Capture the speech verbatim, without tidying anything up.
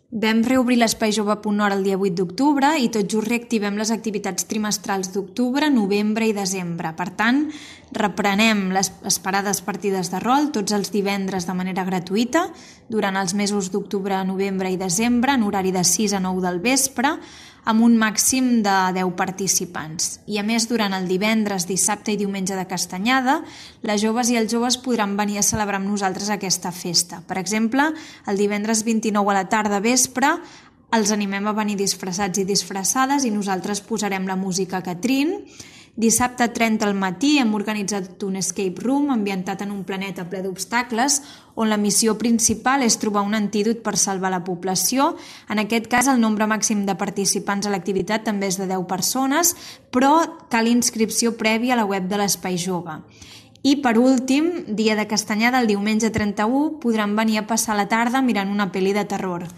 Vam reobrir l'espai jove punt org el dia vuit d'octubre i tot just reactivem les activitats trimestrals d'octubre, novembre i desembre. Per tant, reprenem les esperades partides de rol tots els divendres de manera gratuïta durant els mesos d'octubre, novembre i desembre en horari de sis a nou del vespre amb un màxim de deu participants. I a més, durant el divendres, dissabte i diumenge de Castanyada, les joves i els joves podran venir a celebrar amb nosaltres aquesta festa. Per exemple, el divendres vint-i-nou a la tarda vespre els animem a venir disfressats i disfressades i nosaltres posarem la música Catrín. Dissabte trenta al matí hem organitzat un escape room ambientat en un planeta ple d'obstacles on la missió principal és trobar un antídot per salvar la població. En aquest cas, el nombre màxim de participants a l'activitat també és de deu persones, però cal inscripció prèvia a la web de l'Espai Jove. I per últim, dia de Castanyada, el diumenge trenta-u, podran venir a passar la tarda mirant una pel·li de terror.